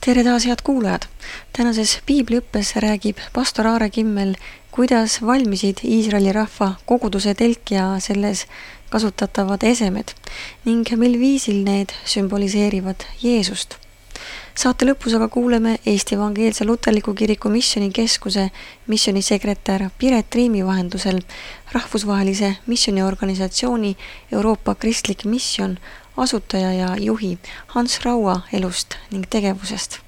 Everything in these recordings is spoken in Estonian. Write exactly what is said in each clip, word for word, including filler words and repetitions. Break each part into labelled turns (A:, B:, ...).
A: Tere taas, head kuulajad! Tänases piibliõppes räägib pastor Aare Kimmel, kuidas valmisid Iisraeli rahva koguduse telk ja selles kasutatavad esemed ning mil viisil need sümboliseerivad Jeesust. Saate lõpus aga kuuleme Eesti Evangeelse Luterliku Kiriku Missionikeskuse missionisekretär Piret Riimi vahendusel rahvusvahelise missioniorganisatsiooni Euroopa Kristlik Mission asutaja ja juhi Hans Raua elust ning tegevusest.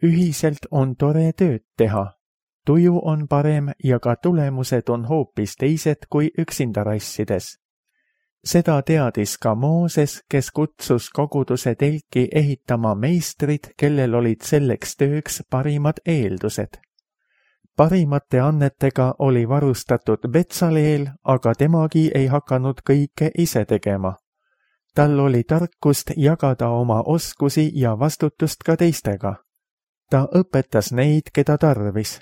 B: Ühiselt on tore tööd teha. Tuju on parem ja ka tulemused on hoopis teised kui üksinda rassides. Seda teadis ka Mooses, kes kutsus koguduse telki ehitama meistrid, kellel olid selleks tööks parimad eeldused. Parimate annetega oli varustatud Betsaleel, aga temagi ei hakanud kõike ise tegema. Tal oli tarkust jagada oma oskusi ja vastutust ka teistega. Ta õpetas neid, keda tarvis.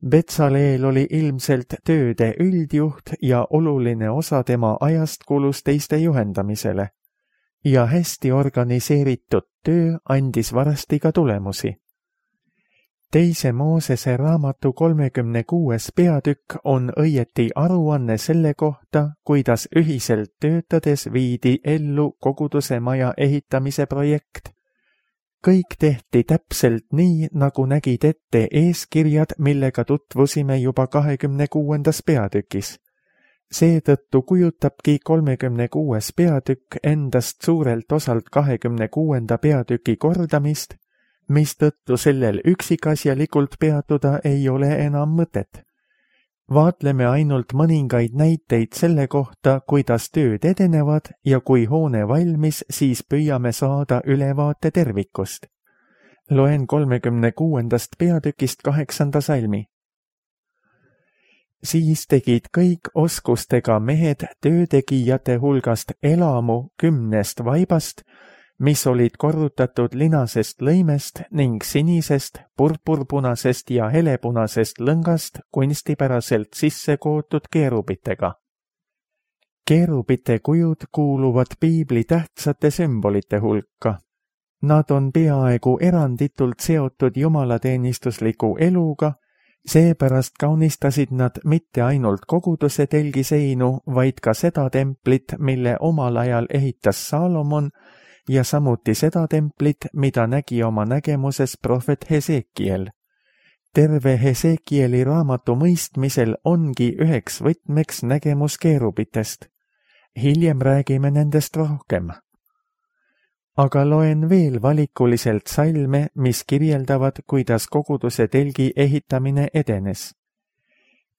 B: Betsaleel oli ilmselt tööde üldjuht ja oluline osa tema ajast kulus teiste juhendamisele. Ja hästi organiseeritud töö andis varsti ka tulemusi. Teise Moosese raamatu kolmekümne kuues peatükk on õieti aruanne selle kohta, kuidas ühiselt töötades viidi ellu koguduse maja ehitamise projekt. Kõik tehti täpselt nii, nagu nägid ette eeskirjad, millega tutvusime juba kahekümne kuuendas peatükis. Seetõttu kujutabki kolmekümne kuues peatükk endast suurelt osalt kahekümne kuuenda peatüki kordamist, mistõttu sellel üksikasjalikult peatuda ei ole enam mõtet. Vaatleme ainult mõningaid näiteid selle kohta, kuidas tööd edenevad ja kui hoone valmis, siis püüame saada ülevaate tervikust. Loen kolmekümne kuuendast peatükist kaheksanda salmi. Siis tegid kõik oskustega mehed töötegijate hulgast elamu kümnest vaibast, mis olid korrutatud linasest lõimest ning sinisest, purpurpunasest ja helepunasest lõngast kunstipäraselt sisse kootud keerubitega. Keerubite kujud kuuluvad piibli tähtsate sümbolite hulka. Nad on peaaegu eranditult seotud jumalateenistusliku eluga, seepärast kaunistasid nad mitte ainult koguduse telgiseinu, vaid ka seda templit, mille omal ajal ehitas Saalomon, ja samuti seda templit, mida nägi oma nägemuses prohvet Hesekiel. Terve Hesekieli raamatu mõistmisel ongi üheks võtmeks nägemus keerubitest. Hiljem räägime nendest rohkem. Aga loen veel valikuliselt salme, mis kirjeldavad, kuidas koguduse telgi ehitamine edenes.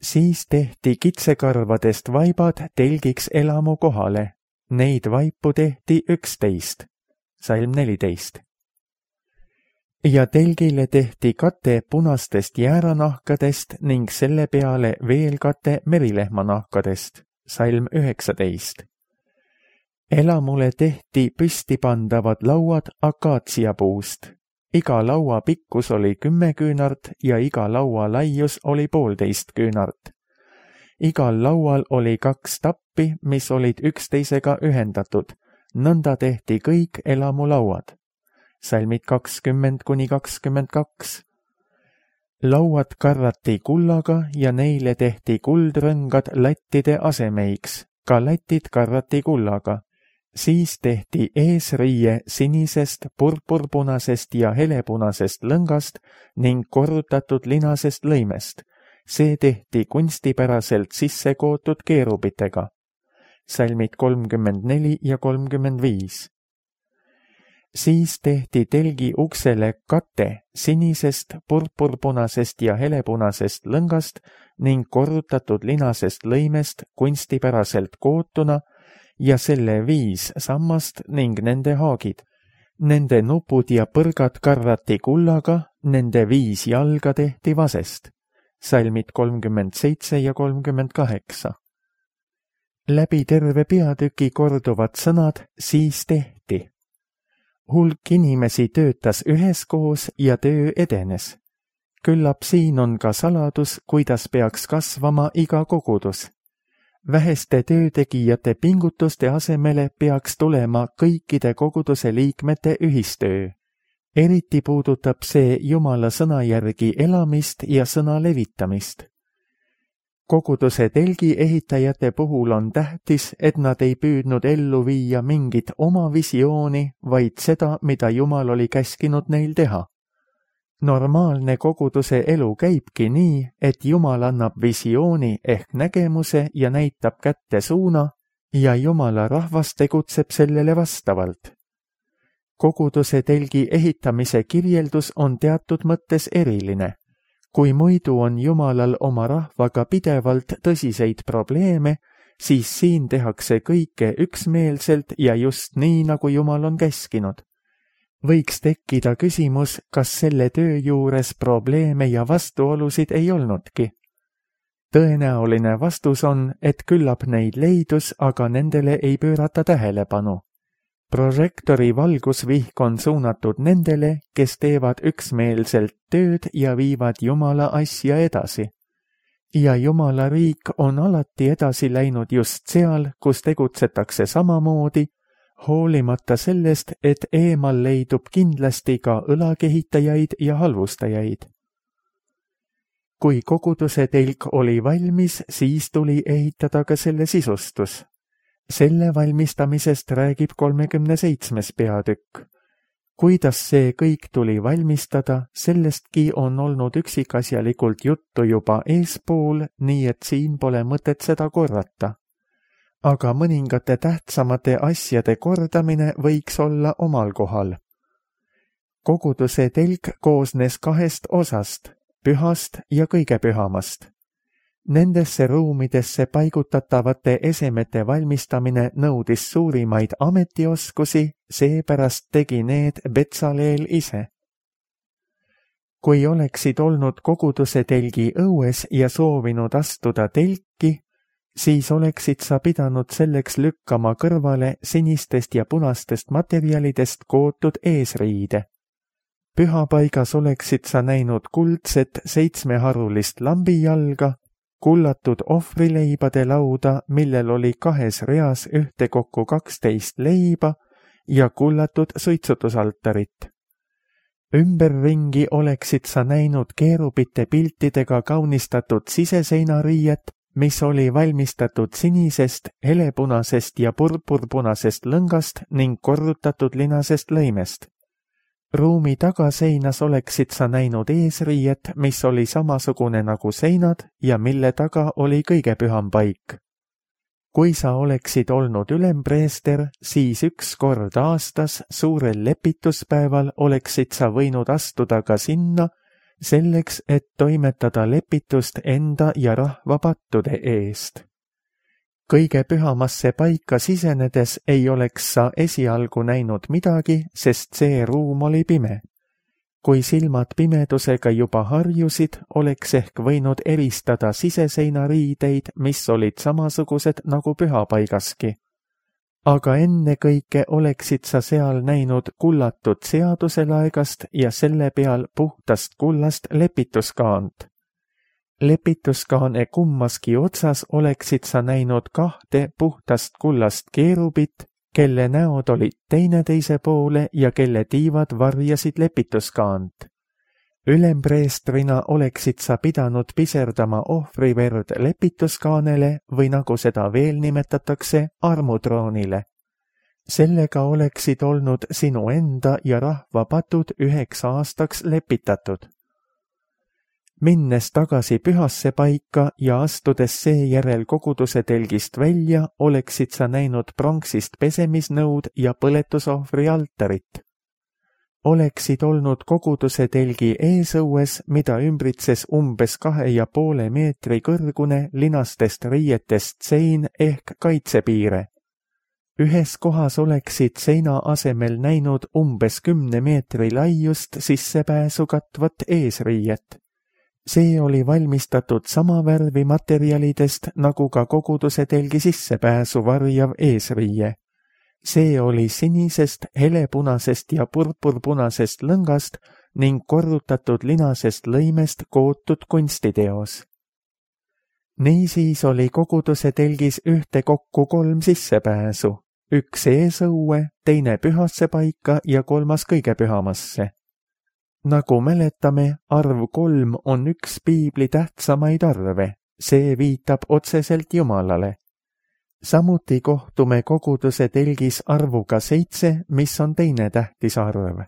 B: Siis tehti kitsekarvadest vaibad telgiks elamu kohale. Neid vaipu tehti üksteist. Salm neliteist. Ja telgile tehti kate punastest jääranahkadest ning selle peale veel kate merilehmanahkadest. Salm üheksateist. Elamule tehti püstipandavad lauad akaatsiapuust. Iga laua pikkus oli kümme küünart ja iga laua laius oli poolteist küünart. Igal laual oli kaks tappi, mis olid üksteisega ühendatud. Nõnda tehti kõik elamulauad. Salmid kakskümmend kuni kakskümmend kaks. Lauad karrati kullaga ja neile tehti kuldrõngad lattide asemeiks. Ka latid karrati kullaga. Siis tehti eesriie sinisest, purpurpunasest ja helepunasest lõngast ning korrutatud linasest lõimest. See tehti kunstipäraselt sisse kootud keerubitega. Salmid kolmkümmend neli ja kolmkümmend viis. Siis tehti telgi uksele kate sinisest, purpurpunasest ja helepunasest lõngast ning korrutatud linasest lõimest kunstipäraselt kootuna ja selle viis sammast ning nende haagid. Nende nupud ja põrgad karrati kullaga, nende viis jalga tehti vasest. Salmid kolmkümmend seitse ja kolmkümmend kaheksa. Läbi terve peatüki korduvad sõnad siis tehti. Hulk inimesi töötas üheskoos ja töö edenes. Küllap siin on ka saladus, kuidas peaks kasvama iga kogudus. väheste töötegijate pingutuste asemele peaks tulema kõikide koguduse liikmete ühistöö. Eriti puudutab see Jumala sõna järgi elamist ja sõna levitamist. Koguduse telgi ehitajate puhul on tähtis, et nad ei püüdnud ellu viia mingit oma visiooni, vaid seda, mida Jumal oli käskinud neil teha. Normaalne koguduse elu käibki nii, et Jumal annab visiooni ehk nägemuse ja näitab kätte suuna ja Jumala rahvas tegutseb sellele vastavalt. Koguduse telgi ehitamise kirjeldus on teatud mõttes eriline. Kui muidu on Jumalal oma rahvaga pidevalt tõsiseid probleeme, siis siin tehakse kõike üksmeelselt ja just nii, nagu Jumal on käskinud. Võiks tekkida küsimus, kas selle töö juures probleeme ja vastuolusid ei olnudki. Tõenäoline vastus on, et küllap neid leidus, aga nendele ei pöörata tähelepanu. Prožektori valgusvihk on suunatud nendele, kes teevad üksmeelselt tööd ja viivad Jumala asja edasi. Ja Jumala riik on alati edasi läinud just seal, kus tegutsetakse samamoodi, hoolimata sellest, et eemal leidub kindlasti ka õlakehitajaid ja halvustajaid. Kui koguduse telk oli valmis, siis tuli ehitada ka selle sisustus. Selle valmistamisest räägib kolmekümne seitsmes peatükk. Kuidas see kõik tuli valmistada, sellestki on olnud üksikasjalikult juttu juba eespool, nii et siin pole mõtet seda korrata. Aga mõningate tähtsamate asjade kordamine võiks olla omal kohal. Koguduse telk koosnes kahest osast, pühast ja kõige pühamast. Nendesse ruumidesse paigutatavate esemete valmistamine nõudis suurimaid ametioskusi, seepärast tegi need Betsaleel ise. Kui oleksid olnud koguduse telgi õues ja soovinud astuda telki, siis oleksid sa pidanud selleks lükkama kõrvale sinistest ja punastest materjalidest kootud eesriide. Pühapaigas oleksid sa näinud kuldset seitsmeharulist lambijalga, kullatud ohvrileibade lauda, millel oli kahes reas ühtekokku kaksteist leiba ja kullatud suitsutusaltarit. Ümberringi oleksid sa näinud keerubite piltidega kaunistatud siseseinariiet, mis oli valmistatud sinisest, helepunasest ja purpurpunasest lõngast ning korrutatud linasest lõimest. Ruumi tagaseinas oleksid sa näinud eesriiet, mis oli samasugune nagu seinad ja mille taga oli kõige püham paik. Kui sa oleksid olnud ülempreester, siis üks kord aastas suurel lepituspäeval oleksid sa võinud astuda ka sinna, selleks, et toimetada lepitust enda ja rahva pattude eest. Kõige pühamasse paika sisenedes ei oleks sa esialgu näinud midagi, sest see ruum oli pime. Kui silmad pimedusega juba harjusid, oleks ehk võinud eristada siseseinariideid, mis olid samasugused nagu pühapaigaski. Aga ennekõike oleksid sa seal näinud kullatud seaduselaegast ja selle peal puhtast kullast lepituskaant. Lepituskaane kummaski otsas oleksid sa näinud kahte puhtast kullast keerubit, kelle näod olid teineteise poole ja kelle tiivad varjasid lepituskaant. Ülempreestrina oleksid sa pidanud piserdama ohvriverd lepituskaanele või nagu seda veel nimetatakse, armutroonile. Sellega oleksid olnud sinu enda ja rahva patud üheks aastaks lepitatud. Minnes tagasi pühasse paika ja astudes seejärel koguduse telgist välja, oleksid sa näinud pronksist pesemisnõud ja põletusohvri altarit. Oleksid olnud koguduse telgi eesõues, mida ümbritses umbes kahe ja poole meetri kõrgune linastest riietest sein ehk kaitsepiire. Ühes kohas oleksid seina asemel näinud umbes kümne meetri laiust sissepääsu katvat eesriiet. See oli valmistatud sama värvi materjalidest nagu ka koguduse telgi sissepääsu varjav eesriie. See oli sinisest, helepunasest ja purpurpunasest lõngast ning korrutatud linasest lõimest kootud kunstiteos. Niisiis oli koguduse telgis ühtekokku kolm sissepääsu, üks eesõue, teine pühasse paika ja kolmas kõige pühamasse. Nagu mäletame, arv kolm on üks piibli tähtsamaid arve, see viitab otseselt Jumalale. Samuti kohtume koguduse telgis arvuga seitse, mis on teine tähtis arv.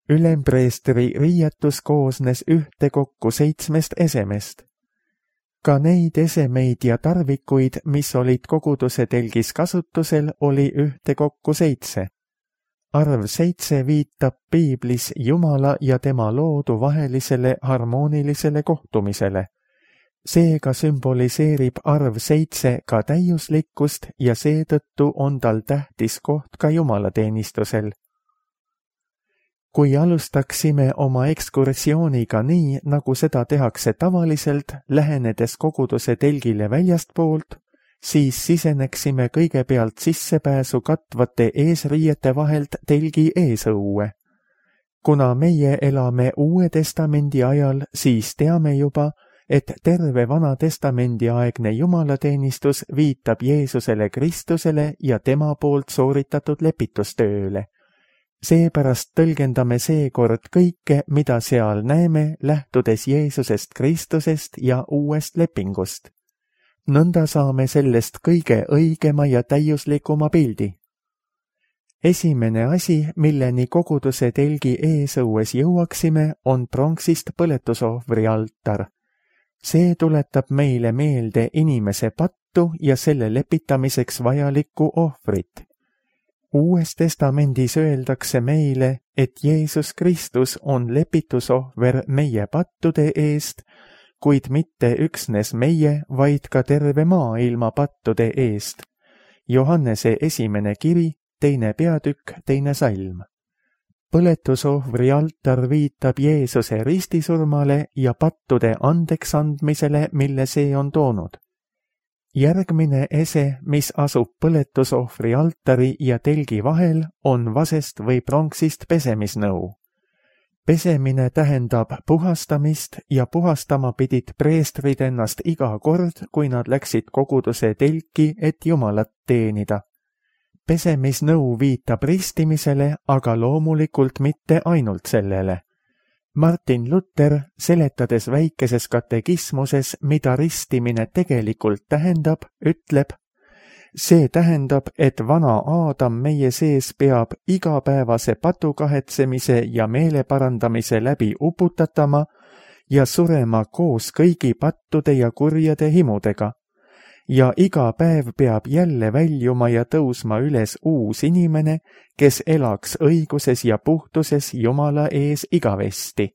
B: Ülempreestri riietus koosnes ühtekokku seitsmest esemest. Ka neid esemeid ja tarvikuid, mis olid koguduse telgis kasutusel, oli ühtekokku seitse. Arv seitse viitab piiblis Jumala ja tema loodu vahelisele harmoonilisele kohtumisele. Seega sümboliseerib arv seitse ka täiuslikkust ja seetõttu on tal tähtis koht ka jumalateenistusel. Kui alustaksime oma ekskursiooniga nii, nagu seda tehakse tavaliselt, lähenedes koguduse telgile väljastpoolt, siis siseneksime kõigepealt sissepääsu katvate eesriiete vahelt telgi eesõue. Kuna meie elame Uue Testamendi ajal, siis teame juba, et terve Vana Testamendi aegne jumalateenistus viitab Jeesusele Kristusele ja tema poolt sooritatud lepitustööle. Seepärast tõlgendame seekord kõike, mida seal näeme, lähtudes Jeesusest Kristusest ja uuest lepingust. Nõnda saame sellest kõige õigema ja täiuslikuma pildi. Esimene asi, milleni koguduse telgi eesõues jõuaksime, on pronksist põletusohvri altar. See tuletab meile meelde inimese pattu ja selle lepitamiseks vajalikku ohvrit. Uues testamendis öeldakse meile, et Jeesus Kristus on lepitusohver meie pattude eest, kuid mitte üksnes meie, vaid ka terve maailma pattude eest. Johannese esimene kiri, teine peatükk, teine salm. Põletusohvri altar viitab Jeesuse ristisurmale ja pattude andeks andmisele, mille see on toonud. Järgmine ese, mis asub põletusohvri altari ja telgi vahel, on vasest või pronksist pesemisnõu. Pesemine tähendab puhastamist ja puhastama pidid preestrid ennast iga kord, kui nad läksid koguduse telki, et Jumalat teenida. Pesemisnõu viitab ristimisele, aga loomulikult mitte ainult sellele. Martin Luther, seletades väikeses katekismuses, mida ristimine tegelikult tähendab, ütleb, see tähendab, et vana Aadam meie sees peab igapäevase patukahetsemise ja meeleparandamise läbi uputatama ja surema koos kõigi pattude ja kurjade himudega. Ja iga päev peab jälle väljuma ja tõusma üles uus inimene, kes elaks õiguses ja puhtuses Jumala ees igavesti.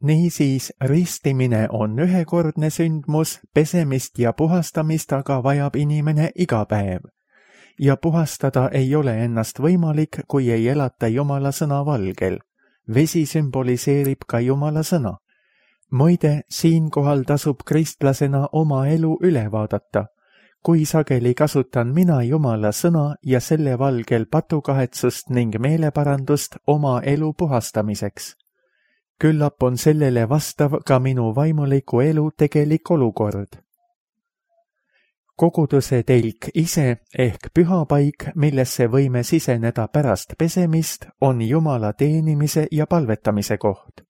B: Niisiis, ristimine on ühekordne sündmus, pesemist ja puhastamist aga vajab inimene iga päev. Ja puhastada ei ole ennast võimalik, kui ei elata Jumala sõna valgel. Vesi sümboliseerib ka Jumala sõna. Muide, siinkohal tasub kristlasena oma elu üle vaadata. Kui sageli kasutan mina Jumala sõna ja selle valgel patukahetsust ning meeleparandust oma elu puhastamiseks. Küllap on sellele vastav ka minu vaimuliku elu tegelik olukord. Koguduse telk ise ehk pühapaik, millesse võime siseneda pärast pesemist, on Jumala teenimise ja palvetamise koht.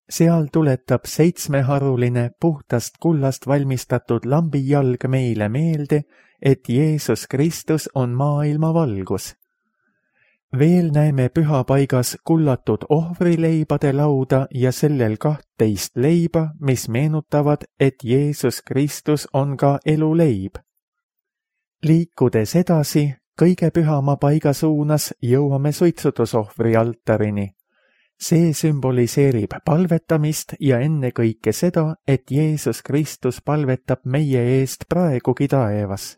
B: Seal tuletab seitsmeharuline puhtast kullast valmistatud lambijalg meile meelde, et Jeesus Kristus on maailma valgus. Veel näeme pühapaigas kullatud ohvrileibade lauda ja sellel kahtteist leiba, mis meenutavad, et Jeesus Kristus on ka eluleib. Liikudes edasi, kõige pühama paiga suunas jõuame suitsutusohvri altarini. See sümboliseerib palvetamist ja ennekõike seda, et Jeesus Kristus palvetab meie eest praegugi taevas.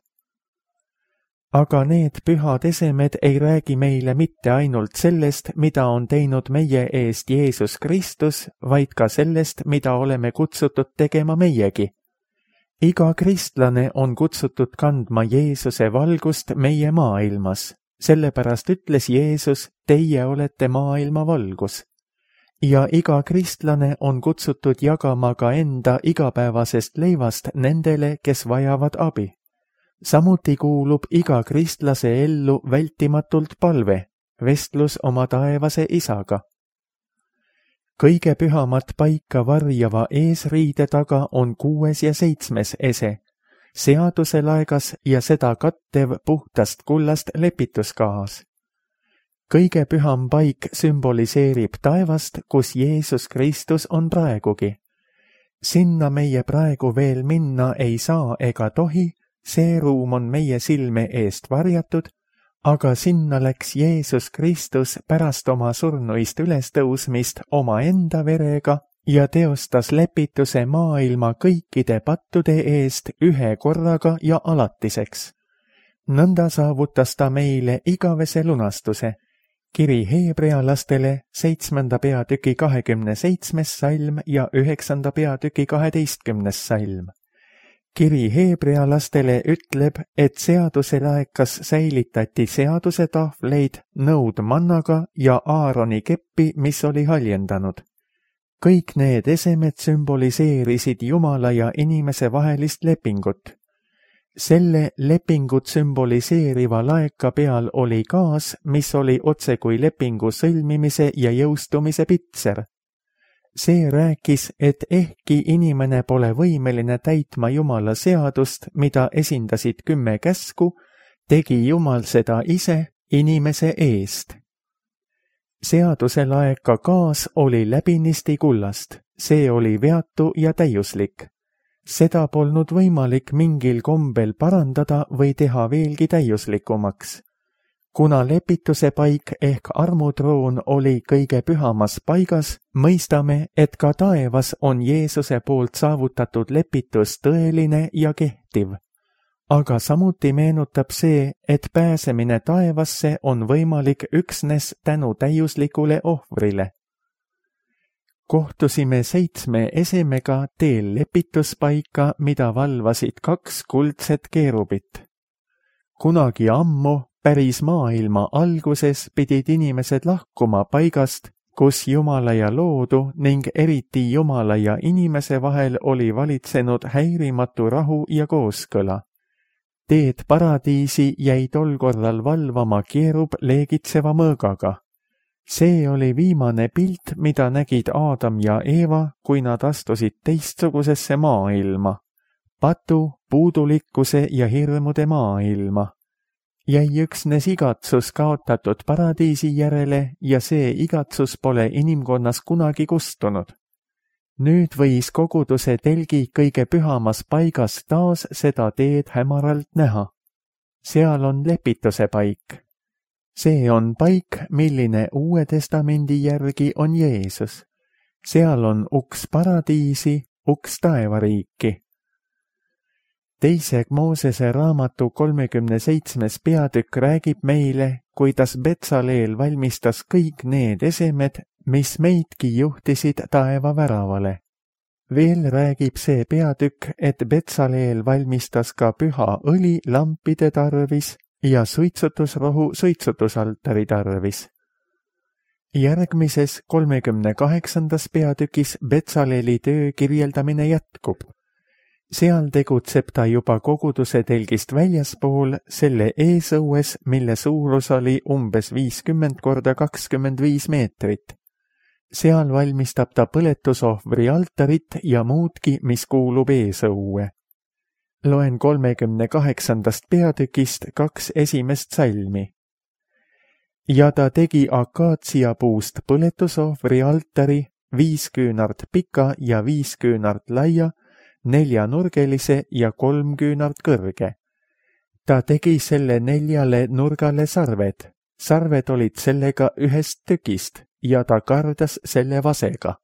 B: Aga need pühad esemed ei räägi meile mitte ainult sellest, mida on teinud meie eest Jeesus Kristus, vaid ka sellest, mida oleme kutsutud tegema meiegi. Iga kristlane on kutsutud kandma Jeesuse valgust meie maailmas. Sellepärast ütles Jeesus, teie olete maailma valgus. ja iga kristlane on kutsutud jagama ka enda igapäevasest leivast nendele, kes vajavad abi. Samuti kuulub iga kristlase ellu vältimatult palve, vestlus oma taevase isaga. Kõige pühamat paika varjava eesriide taga on kuues ja seitsmes ese, seaduse laegas ja seda kattev puhtast kullast lepituskaas. Kõige püham paik sümboliseerib taevast, kus Jeesus Kristus on praegugi. Sinna meie praegu veel minna ei saa ega tohi, see ruum on meie silme eest varjatud, aga sinna läks Jeesus Kristus pärast oma surnuist ülestõusmist oma enda verega ja teostas lepituse maailma kõikide pattude eest ühe korraga ja alatiseks. Nõnda saavutas ta meile igavese lunastuse. Kiri heebrealastele seitsmenda peatüki kahekümne seitsmes salm ja üheksanda peatüki kaheteistkümnes salm. Kiri heebrealastele ütleb, et seaduse laekas säilitati seaduse tahvleid nõud mannaga ja Aaroni keppi, mis oli haljendanud. Kõik need esemed sümboliseerisid Jumala ja inimese vahelist lepingut. Selle lepingut sümboliseeriva laeka peal oli gaas, mis oli otse kui lepingu sõlmimise ja jõustumise pitser. See rääkis, et ehkki inimene pole võimeline täitma Jumala seadust, mida esindasid kümme käsku, tegi Jumal seda ise inimese eest. Seaduse laeka gaas oli läbinisti kullast, see oli veatu ja täiuslik. Seda polnud võimalik mingil kombel parandada või teha veelgi täiuslikumaks. Kuna lepituse paik ehk armutroon oli kõige pühamas paigas, mõistame, et ka taevas on Jeesuse poolt saavutatud lepitus tõeline ja kehtiv. Aga samuti meenutab see, et pääsemine taevasse on võimalik üksnes tänu täiuslikule ohvrile. Kohtusime seitsme esemega teel lepituspaika, mida valvasid kaks kuldset keerubit. Kunagi ammu, päris maailma alguses pidid inimesed lahkuma paigast, kus Jumala ja loodu ning eriti Jumala ja inimese vahel oli valitsenud häirimatu rahu ja kooskõla. Teed paradiisi jäi tol korral valvama keerub leegitseva mõõgaga. See oli viimane pilt, mida nägid Aadam ja Eeva, kui nad astusid teistsugusesse maailma, patu, puudulikkuse ja hirmude maailma. Jäi üksnes igatsus kaotatud paradiisi järele ja see igatsus pole inimkonnas kunagi kustunud. Nüüd võis koguduse telgi kõige pühamas paigas taas seda teed hämaralt näha. Seal on lepituse paik. See on paik, milline Uue Testamendi järgi on Jeesus. Seal on uks paradiisi, uks taevariiki. Teise Moosese raamatu kolmekümne seitsmes peatükk räägib meile, kuidas Betsaleel valmistas kõik need esemed, mis meidki juhtisid taeva väravale. Veel räägib see peatükk, et Betsaleel valmistas ka püha õli lampide tarvis ja suitsutusrohu suitsutusaltari tarvis. Järgmises kolmekümne kaheksandas peatükis Betsaleeli töö kirjeldamine jätkub. Seal tegutseb ta juba koguduse telgist väljaspool selle eesõues, mille suurus oli umbes viiskümmend korda kakskümmend viis meetrit. Seal valmistab ta põletusohvri altarit ja muudki, mis kuulub eesõue. Loen kolmekümne kaheksandast peatükist kaks esimest salmi. Ja ta tegi akaatsiapuust põletusohvri altari, viis küünart pika ja viis küünart laia, neljanurgelise ja kolm küünart kõrge. Ta tegi selle neljale nurgale sarved. Sarved olid sellega ühest tükist ja ta kardas selle vasega.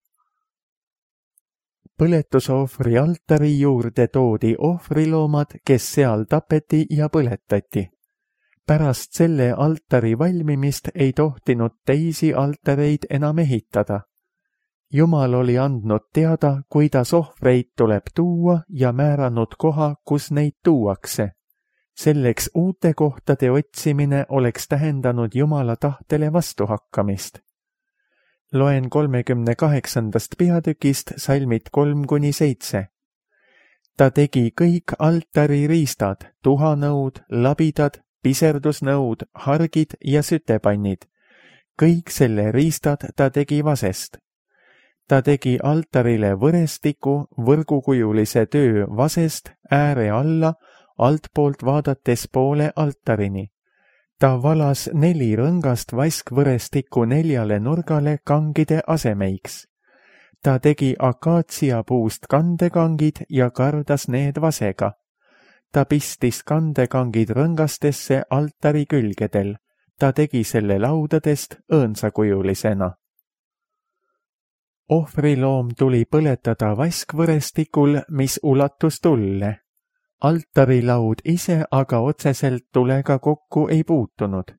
B: Põletusohvri altari juurde toodi ohvriloomad, kes seal tapeti ja põletati. Pärast selle altari valmimist ei tohtinud teisi altareid enam ehitada. Jumal oli andnud teada, kuidas ohvreid tuleb tuua ja määranud koha, kus neid tuuakse. Selleks uute kohtade otsimine oleks tähendanud Jumala tahtele vastuhakkamist. Loen kolmekümne kaheksandast peatükist salmid kolm kuni seitse. Ta tegi kõik altari riistad, tuhanõud, labidad, piserdusnõud, hargid ja sütepannid. Kõik selle riistad ta tegi vasest. Ta tegi altarile võrestiku, võrgukujulise töö vasest ääre alla, altpoolt vaadates poole altarini. Ta valas neli rõngast vaskvõrestikku neljale nurgale kangide asemeiks. Ta tegi akaatsiapuust kandekangid ja kardas need vasega. Ta pistis kandekangid rõngastesse altari külgedel. Ta tegi selle laudadest õõnsakujulisena. Ohvriloom tuli põletada vaskvõrestikul, mis ulatus tulle. Altarilaud ise aga otseselt tulega kokku ei puutunud.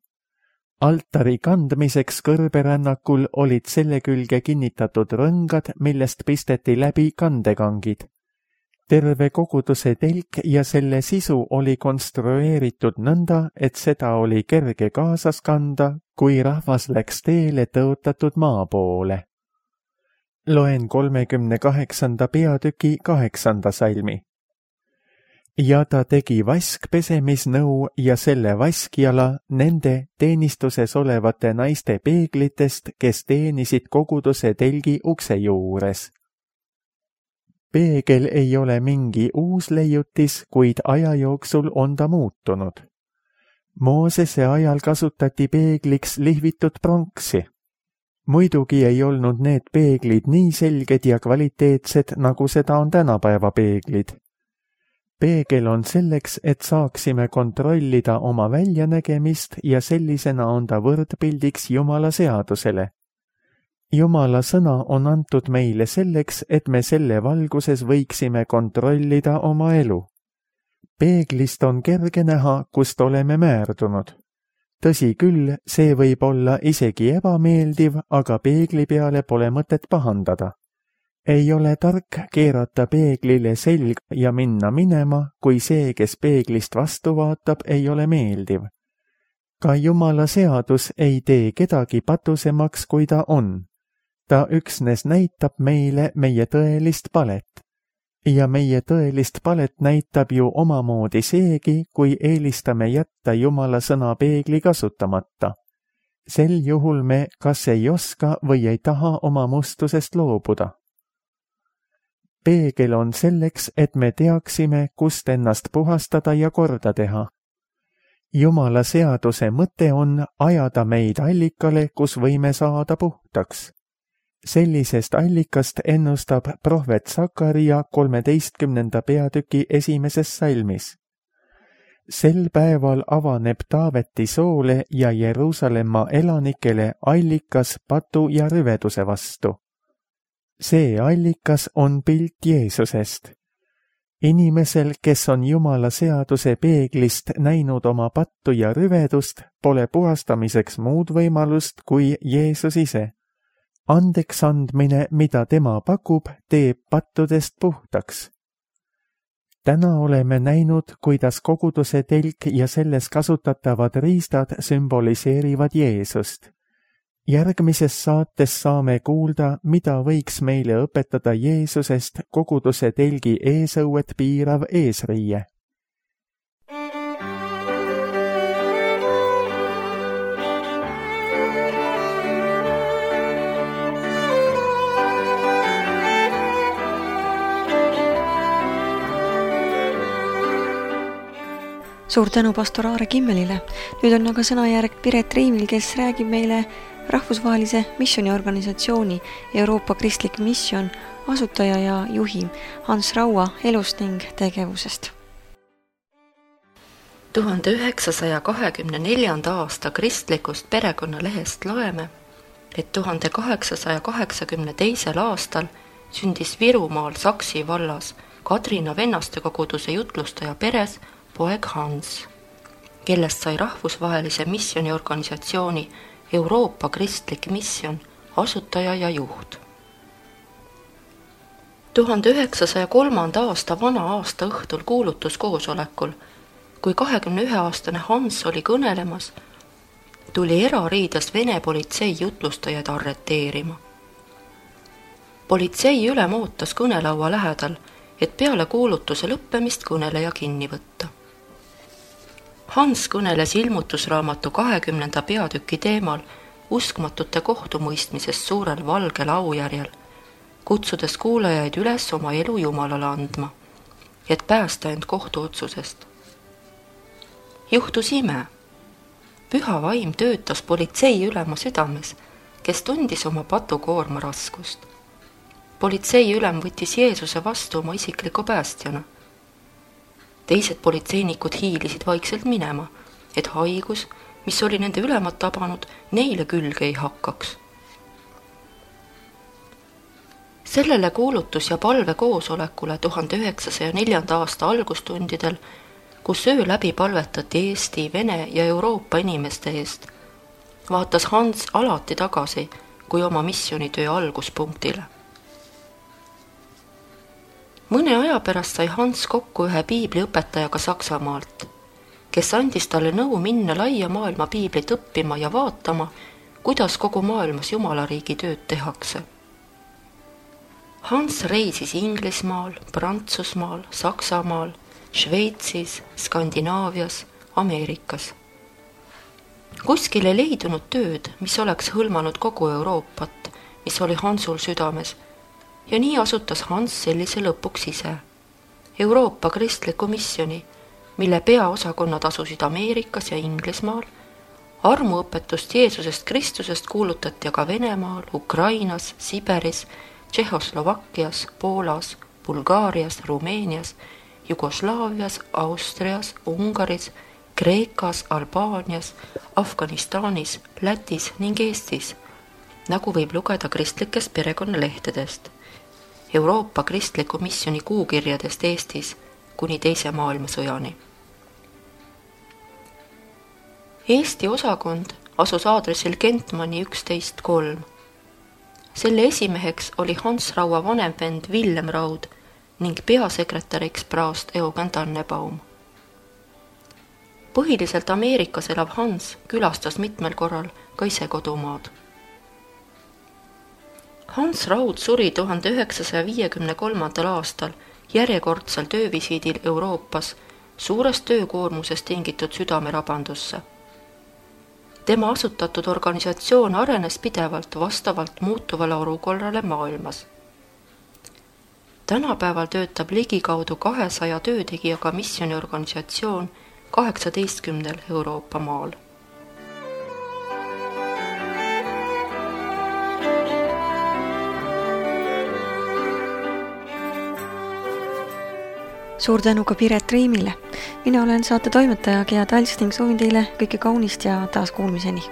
B: Altari kandmiseks kõrberännakul olid selle külge kinnitatud rõngad, millest pisteti läbi kandekangid. Terve koguduse telk ja selle sisu oli konstrueeritud nõnda, et seda oli kerge kaasas kanda, kui rahvas läks teele tõotatud maa poole. Loen kolmekümne kaheksanda peatüki kaheksanda salmi. Ja ta tegi vaskpesemisnõu ja selle vaskjala nende teenistuses olevate naiste peeglitest, kes teenisid koguduse telgi ukse juures. Peegel ei ole mingi uus leiutis, kuid aja jooksul on ta muutunud. Moosese ajal kasutati peegliks lihvitud pronksi. Muidugi ei olnud need peeglid nii selged ja kvaliteetsed, nagu seda on tänapäeva peeglid. Peegel on selleks, et saaksime kontrollida oma väljanägemist ja sellisena on ta võrdpildiks Jumala seadusele. Jumala sõna on antud meile selleks, et me selle valguses võiksime kontrollida oma elu. Peeglist on kerge näha, kust oleme määrdunud. Tõsi küll, see võib olla isegi ebameeldiv, aga peegli peale pole mõtet pahandada. Ei ole tark keerata peeglile selg ja minna minema, kui see, kes peeglist vastu vaatab, ei ole meeldiv. Ka Jumala seadus ei tee kedagi patusemaks, kui ta on. Ta üksnes näitab meile meie tõelist palet. Ja meie tõelist palet näitab ju omamoodi seegi, kui eelistame jätta Jumala sõna peegli kasutamata. Sel juhul me kas ei oska või ei taha oma mustusest loobuda. Peegel on selleks, et me teaksime, kust ennast puhastada ja korda teha. Jumala seaduse mõte on ajada meid allikale, kus võime saada puhtaks. Sellisest allikast ennustab prohvet Sakaria kolmeteistkümnenda peatüki esimeses salmis. Sel päeval avaneb Taaveti soole ja Jeruusalemma elanikele allikas patu ja rüveduse vastu. See allikas on pilt Jeesusest. Inimesel, kes on Jumala seaduse peeglist näinud oma pattu ja rüvedust, pole puhastamiseks muud võimalust kui Jeesus ise. Andeks andmine, mida tema pakub, teeb pattudest puhtaks. Täna oleme näinud, kuidas koguduse telk ja selles kasutatavad riistad sümboliseerivad Jeesust. Järgmises saates saame kuulda, mida võiks meile õpetada Jeesusest koguduse telgi eesõuet piirav eesriie.
A: Suur tänu pastor Aare Kimmelile. Nüüd on aga sõnajärg Piret Riimil, kes räägib meile rahvusvahelise missiooniorganisatsiooni Euroopa Kristlik Misjon asutaja ja juhi Hans Raua elust ning tegevusest.
C: tuhande üheksasaja kahekümne neljanda aasta kristlikust perekonnalehest loeme, et tuhande kaheksasaja kaheksakümne teisel aastal sündis Virumaal Saksi vallas Kadrina vennastekoguduse jutlustaja peres poeg Hans, kellest sai rahvusvahelise missiooniorganisatsiooni Euroopa Kristlik Misjon asutaja ja juht. tuhande üheksasaja kolmanda aasta vana aasta õhtul kuulutuskoosolekul, kui kahekümne ühe aastane Hans oli kõnelemas, tuli erariides Vene politsei jutlustajaid arreteerima. politsei ülem ootas kõnelaua lähedal, et peale kuulutuse lõppemist kõneleja kinni võtta. Hans kõneles ilmutusraamatu kahekümnenda peatüki teemal uskmatute kohtumõistmisest suurel valgel aujärjel, kutsudes kuulajaid üles oma elu Jumalale andma, et päästa end kohtuotsusest. Juhtus ime. Püha vaim töötas politsei ülema südames, kes tundis oma patukoorma raskust. Politsei ülem võttis Jeesuse vastu oma isikliku päästjana. Teised politseinikud hiilisid vaikselt minema, et haigus, mis oli nende ülemat tabanud, neile külge ei hakkaks. Sellele kuulutus- ja palvekoosolekule tuhande üheksasaja neljanda aasta algustundidel, kus öö läbi palvetati Eesti, Vene ja Euroopa inimeste eest, vaatas Hans alati tagasi kui oma missioonitöö alguspunktile. Mõne aja pärast sai Hans kokku ühe piibliõpetajaga Saksamaalt, kes andis talle nõu minna laia maailma piiblit õppima ja vaatama, kuidas kogu maailmas Jumalariigi tööd tehakse. Hans reisis Inglismaal, Prantsusmaal, Saksamaal, Šveitsis, Skandinaavias, Ameerikas. Kuskil ei leidunud tööd, mis oleks hõlmanud kogu Euroopat, mis oli Hansul südames, ja nii asutas Hans sellise lõpuks ise. Euroopa kristliku missiooni, mille peaosakonnad asusid Ameerikas ja Inglismaal, armuõpetust Jeesusest Kristusest kuulutati aga Venemaal, Ukrainas, Siberis, Tšehhoslovakkias, Poolas, Bulgaarias, Rumeenias, Jugoslaavias, Austrias, Ungaris, Kreekas, Albaanias, Afganistanis, Lätis ning Eestis, nagu võib lugeda kristlikest perekonnalehtedest, Euroopa kristliku missiooni kuukirjadest Eestis kuni teise maailmasõjani. Eesti osakond asus aadressil Kentmani üksteist kolm. Selle esimeheks oli Hans Raua vanem vend Villem Raud ning peasekretäriks praost Eugen Tannebaum. Põhiliselt Ameerikas elav Hans külastas mitmel korral ka ise kodumaad. Hans Raud suri tuhande üheksasaja viiekümne kolmandal aastal järjekordsel töövisiidil Euroopas suurest töökoormusest tingitud südamerabandusse. Tema asutatud organisatsioon arenes pidevalt vastavalt muutuvale olukorrale maailmas. Tänapäeval töötab ligikaudu kahesaja töötegijaga missiooniorganisatsioon kaheksateistkümnel Euroopa maal.
A: Suur tänu ka Piret Riimile. Mina olen saate toimetaja Gea Talst ning soovin teile kõike kaunist ja taas kuulmiseni.